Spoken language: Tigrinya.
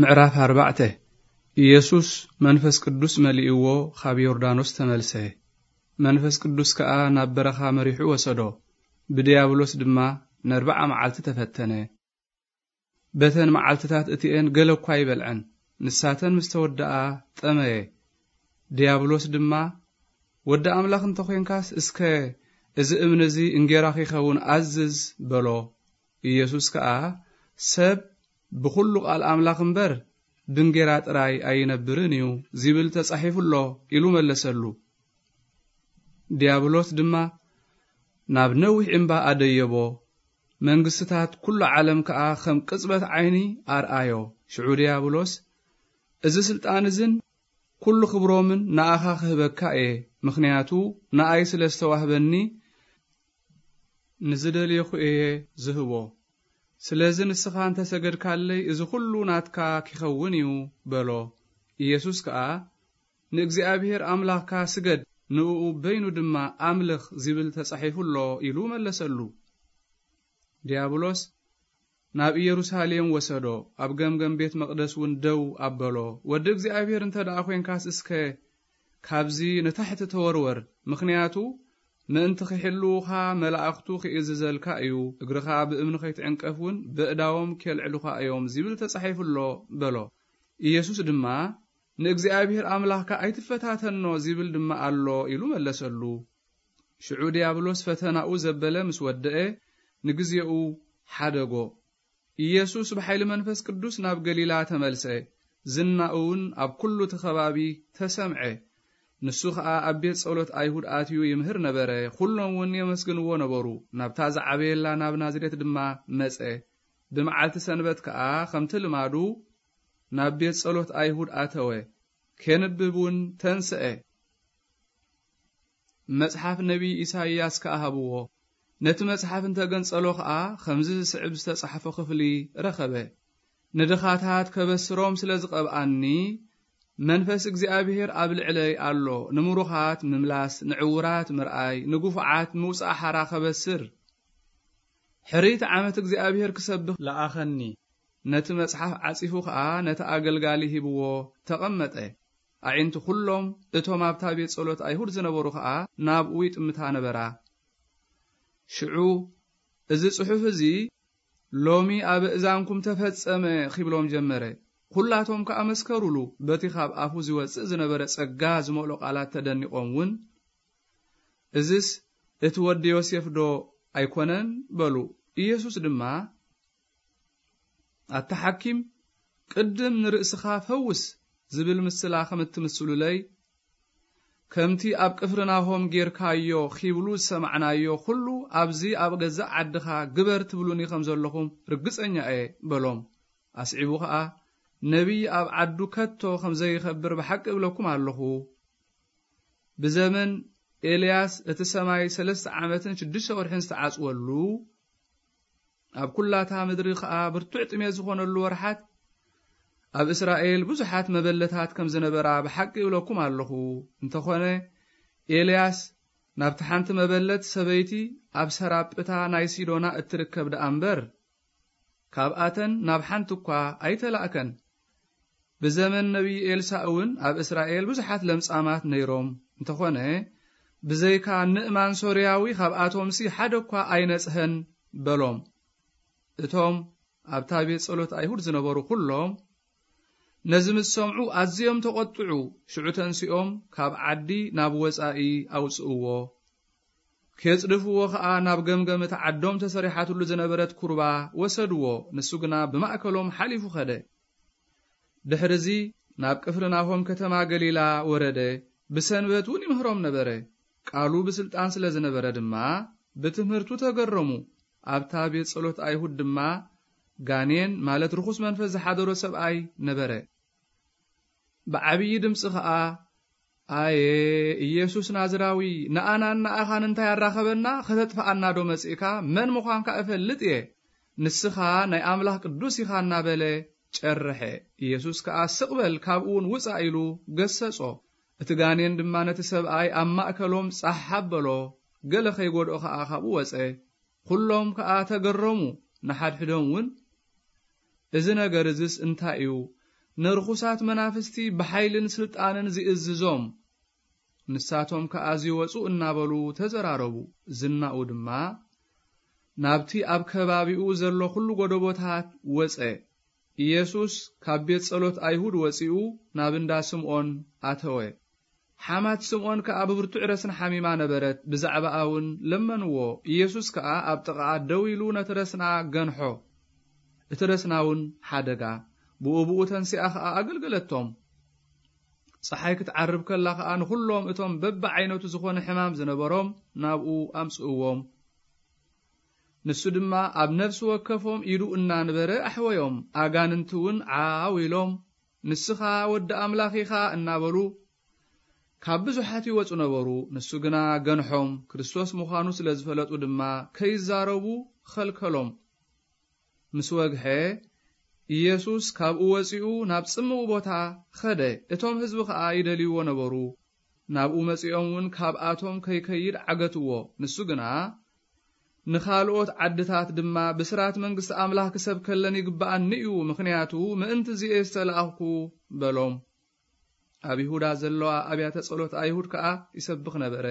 ምዕራፍ ኣርባዕተ። ኢየሱስ መንፈስ ቅዱስ መሊእዎ ኻብ ዮርዳኖስ ተመልሰ። መንፈስ ቅዱስ ከኣ ናብ በረኻ መሪሑ ወሰዶ፣ ብድያብሎስ ድማ ነርብዓ መዓልቲ ተፈተነ። በተን መዓልትታት እቲኤን ገለ እኳ ኣይበልዐን። ንሳተን ምስ ተወድኣ ጠመየ። ድያብሎስ ድማ፣ "ወዲ ኣምላኽ እንተ ኾይንካስ፣ እስከ እዚ እምኒ እዚ እንጌራ ኺኸውን ኣዝዝ" በሎ። ኢየሱስ ከኣ፣ "ሰብ ብኹሉ ቃል ኣምላኽ እምበር፣ ብእንጌራ ጥራይ ኣይነብርን እዩ ዚብል ተጻሒፉ ኣሎ" ኢሉ መለሰሉ። ድያብሎስ ድማ ናብ ነዊሕ እምባ ኣደየቦ። መንግስትታት ኩሉ ዓለም ከኣ ከም ቅጽበት ዓይኒ ኣርኣዮ። ሽዑ ድያብሎስ፣ "እዚ ስልጣን እዝን ኩሉ ክብሮምን ንኣኻ ክህበካ እየ፣ ምኽንያቱ ንኣይ ስለ ዝተዋህበኒ ንዝደልየኹ እየ ዝህቦ። ስለዚ ንስኻ እንተ ሰገድካለይ፣ እዚ ኩሉ ናትካ ኪኸውን እዩ" በሎ። ኢየሱስ ከኣ፣ "ንእግዚኣብሔር ኣምላኽካ ስገድ፣ ንእኡ በይኑ ድማ ኣምልኽ ዚብል ተጻሒፉ ኣሎ" ኢሉ መለሰሉ። ድያብሎስ ናብ ኢየሩሳሌም ወሰዶ፣ ኣብ ገምገም ቤት መቕደስ እውን ደው ኣበሎ። "ወዲ እግዚኣብሔር እንተ ደኣ ኾይንካስ፣ እስከ ካብዚ ንታሕቲ ተወርወር፣ ምኽንያቱ ምእንቲ ኺሕልዉኻ መላእኽቱ ኺእዝዘልካ እዩ፣ እግርኻ ብእምኒ ኸይትዕንቀፍ እውን በእዳዎም ኬልዕሉኻ እዮም ዚብል ተጻሒፉ ኣሎ" በሎ። ኢየሱስ ድማ፣ "ንእግዚኣብሔር ኣምላኽካ ኣይትፈታተኖ ዚብል ድማ ኣሎ" ኢሉ መለሰሉ። ሽዑ ድያብሎስ ፈተናኡ ዘበለ ምስ ወደአ፣ ንግዜኡ ሓደጎ። ኢየሱስ ብሓይሊ መንፈስ ቅዱስ ናብ ገሊላ ተመልሰ። ዝናኡ እውን ኣብ ኩሉ እቲ ከባቢ ተሰምዐ። ንሱ ኸኣ ኣብ ቤት ጸሎት ኣይሁድ ኣትዩ ይምህር ነበረ። ኩሎም እውን የመስግንዎ ነበሩ። ናብታ ዝዓበየላ ናብ ናዝሬት ድማ መጸ። ብመዓልቲ ሰንበት ከኣ ከምቲ ልማዱ ናብ ቤት ጸሎት ኣይሁድ ኣተወ። ኬንብብ እውን ተንስአ። መጽሓፍ ነቢይ ኢሳይያስ ከኣ ሃብዎ። ነቲ መጽሓፍ እንተ ገንጸሎ ኸኣ፣ ኸምዚ ዝስዕብ ዝተጻሕፎ ኽፍሊ ረኸበ። "ንድኻታት ከበስሮም ስለ ዝቐብኣኒ፣ መንፈስ እግዚኣብሔር ኣብ ልዕለይ ኣሎ። ንምሩኻት ምምላስ፣ ንዕዉራት ምርኣይ፣ ንግፉዓት ምውጻእ ሓራ ኸበስር፣ ሕርይቲ ዓመት እግዚኣብሔር ክሰብኽ ለኣኸኒ።" ነቲ መጽሓፍ ዓጺፉ ኸኣ ነቲ ኣገልጋሊ ሂብዎ ተቐመጠ። ኣዒንቲ ኹሎም እቶም ኣብታ ቤት ጸሎት ኣይሁድ ዝነበሩ ኸኣ ናብኡ ይጥምታ ነበራ። ሽዑ፣ "እዚ ጽሑፍ እዚ ሎሚ ኣብ እእዛንኩም ተፈጸመ" ኺብሎም ጀመረ። ኵላቶም ከኣ መስከሩሉ። በቲ ኻብ ኣፉ ዚወጽእ ዝነበረ ጸጋ ዝመልኦ ቃላት ተደኒቖም እውን፣ "እዝስ እቲ ወዲ ዮሴፍዶ ኣይኮነን?" በሉ። ኢየሱስ ድማ፣ "ኣታ ሓኪም፣ ቅድም ንርእስኻ ፈውስ" ዝብል ምስላ ከም እትምስሉለይ፣ "ከምቲ ኣብ ቅፍርናሆም ጌርካዮ" ኺብሉ ዝሰማዕናዮ ኹሉ፣ ኣብዚ ኣብ ገዛእ ዓድኻ ግበር ትብሉኒ ከም ዘለኹም ርግጸኛ እየ በሎም። ኣስዒቡ ኸኣ፣ "ነቢይ ኣብ ዓዱ ከቶ ከም ዘይኸብር ብሓቂ እብለኩም ኣለኹ። ብዘመን ኤልያስ እቲ ሰማይ ሰለስተ ዓመትን ሽዱሽተ ወርሕን ዝተዓጽወሉ፣ ኣብ ኵላታ ምድሪ ኸኣ ብርቱዕ ጥሜት ዝኾነሉ ወርሓት፣ ኣብ እስራኤል ብዙሓት መበለታት ከም ዝነበራ ብሓቂ እብለኩም ኣለኹ። እንተኾነ፣ ኤልያስ ናብቲ ሓንቲ መበለት ሰበይቲ ኣብ ሰራጵታ ናይ ሲዶና እትርከብ ደኣ እምበር፣ ካብኣተን ናብ ሓንቲ እኳ ኣይተላእከን። ብዘመን ነቢይ ኤልሳእ እውን ኣብ እስራኤል ብዙሓት ለምጻማት ነይሮም። እንተኾነ፣ ብዘይካ ንእማን ሶርያዊ ካብኣቶምሲ ሓደ እኳ ኣይነጽሀን" በሎም። እቶም ኣብታ ቤት ጸሎት ኣይሁድ ዝነበሩ ኹሎም ነዚ ምስ ሰምዑ ኣዝዮም ተቖጥዑ። ሽዑ ተንሲኦም ካብ ዓዲ ናብ ወጻኢ ኣውጽእዎ። ኬጽድፍዎ ኸኣ ናብ ገምገም እታ ዓዶም ተሰሪሓትሉ ዝነበረት ኵርባ ወሰድዎ። ንሱ ግና ብማእከሎም ሓሊፉ ኸደ። ድሕርዚ ናብ ቅፍርናሆም ከተማ ገሊላ ወረደ። ብሰንበት እውን ይምህሮም ነበረ። ቃሉ ብስልጣን ስለ ዝነበረ ድማ ብትምህርቱ ተገረሙ። ኣብታ ቤት ጸሎት ኣይሁድ ድማ ጋኔን፣ ማለት ርኹስ መንፈስ ዝሓደሮ ሰብኣይ ነበረ። ብዓብዪ ድምጺ ኸኣ፣ "ኣየ ኢየሱስ ናዝራዊ፣ ንኣናን ንኣኻን እንታይ ኣራኸበና? ከተጥፍኣና ዶ መጺእካ? መን ምዃንካ እፈልጥ እየ። ንስኻ ናይ ኣምላኽ ቅዱስ ኢኻ" እናበለ ጨርሐ። ኢየሱስ ከኣ፣ "ስቕ በል፣ ካብኡ እውን ውጻእ" ኢሉ ገሰጾ። እቲ ጋኔን ድማ ነቲ ሰብኣይ ኣብ ማእከሎም ጻሕ ኣበሎ፣ ገለ ኸይጐድኦ ኸኣ ካብኡ ወጸ። ኵሎም ከኣ ተገረሙ፣ ንሓድሕዶም እውን፣ "እዚ ነገር እዝስ እንታይ እዩ? ንርኹሳት መናፍስቲ ብሓይልን ስልጣንን ዝእዝዞም፣ ንሳቶም ከኣ ዚወጹ እናበሉ ተዘራረቡ። ዝናኡ ድማ ናብቲ ኣብ ከባቢኡ ዘሎ ኹሉ ጎደቦታት ወጸ። ኢየሱስ ካብ ቤት ጸሎት ኣይሁድ ወጺኡ ናብ እንዳ ስምዖን ኣተወ። ሓማት ስምዖን ከኣ ብብርቱዕ ረስኒ ሓሚማ ነበረት፣ ብዛዕባኣ እውን ለመንዎ። ኢየሱስ ከኣ ኣብ ጥቓኣ ደው ኢሉ ነቲ ረስና ገንሖ። እቲ ረስና እውን ሓደጋ፣ ብኡ ብኡ ተንሲኣ ኸኣ ኣገልገለቶም። ጸሓይ ክትዓርብ ከላ ኸኣ ንኹሎም እቶም በብዓይነቱ ዝኾነ ሕማም ዝነበሮም ናብኡ ኣምጽእዎም። ንሱ ድማ ኣብ ነፍሲ ወከፎም ኢዱ እናንበረ ኣሕወዮም። ኣጋንንቲ እውን ዓው ኢሎም፣ "ንስኻ ወዲ ኣምላኽ ኢኻ" እናበሉ ካብ ብዙሓት ይወጹ ነበሩ። ንሱ ግና ገንሖም። ክርስቶስ ምዃኑ ስለ ዝፈለጡ ድማ ከይዛረቡ ኸልከሎም። ምስ ወግሐ፣ ኢየሱስ ካብኡ ወጺኡ ናብ ጽምው ቦታ ኸደ። እቶም ህዝቢ ኸኣ ይደልይዎ ነበሩ። ናብኡ መጺኦም እውን ካብኣቶም ከይከይድ ዓገትዎ። ንሱ ግና፣ "ንኻልኦት ዓድታት ድማ ብስራት መንግስቲ ኣምላኽ ክሰብከለን ይግብኣኒ እዩ፣ ምኽንያቱ ምእንቲ እዚኤ ዝተላእኽኩ" በሎም። ኣብ ይሁዳ ዘለዋ ኣብያተ ጸሎት ኣይሁድ ከኣ ይሰብኽ ነበረ።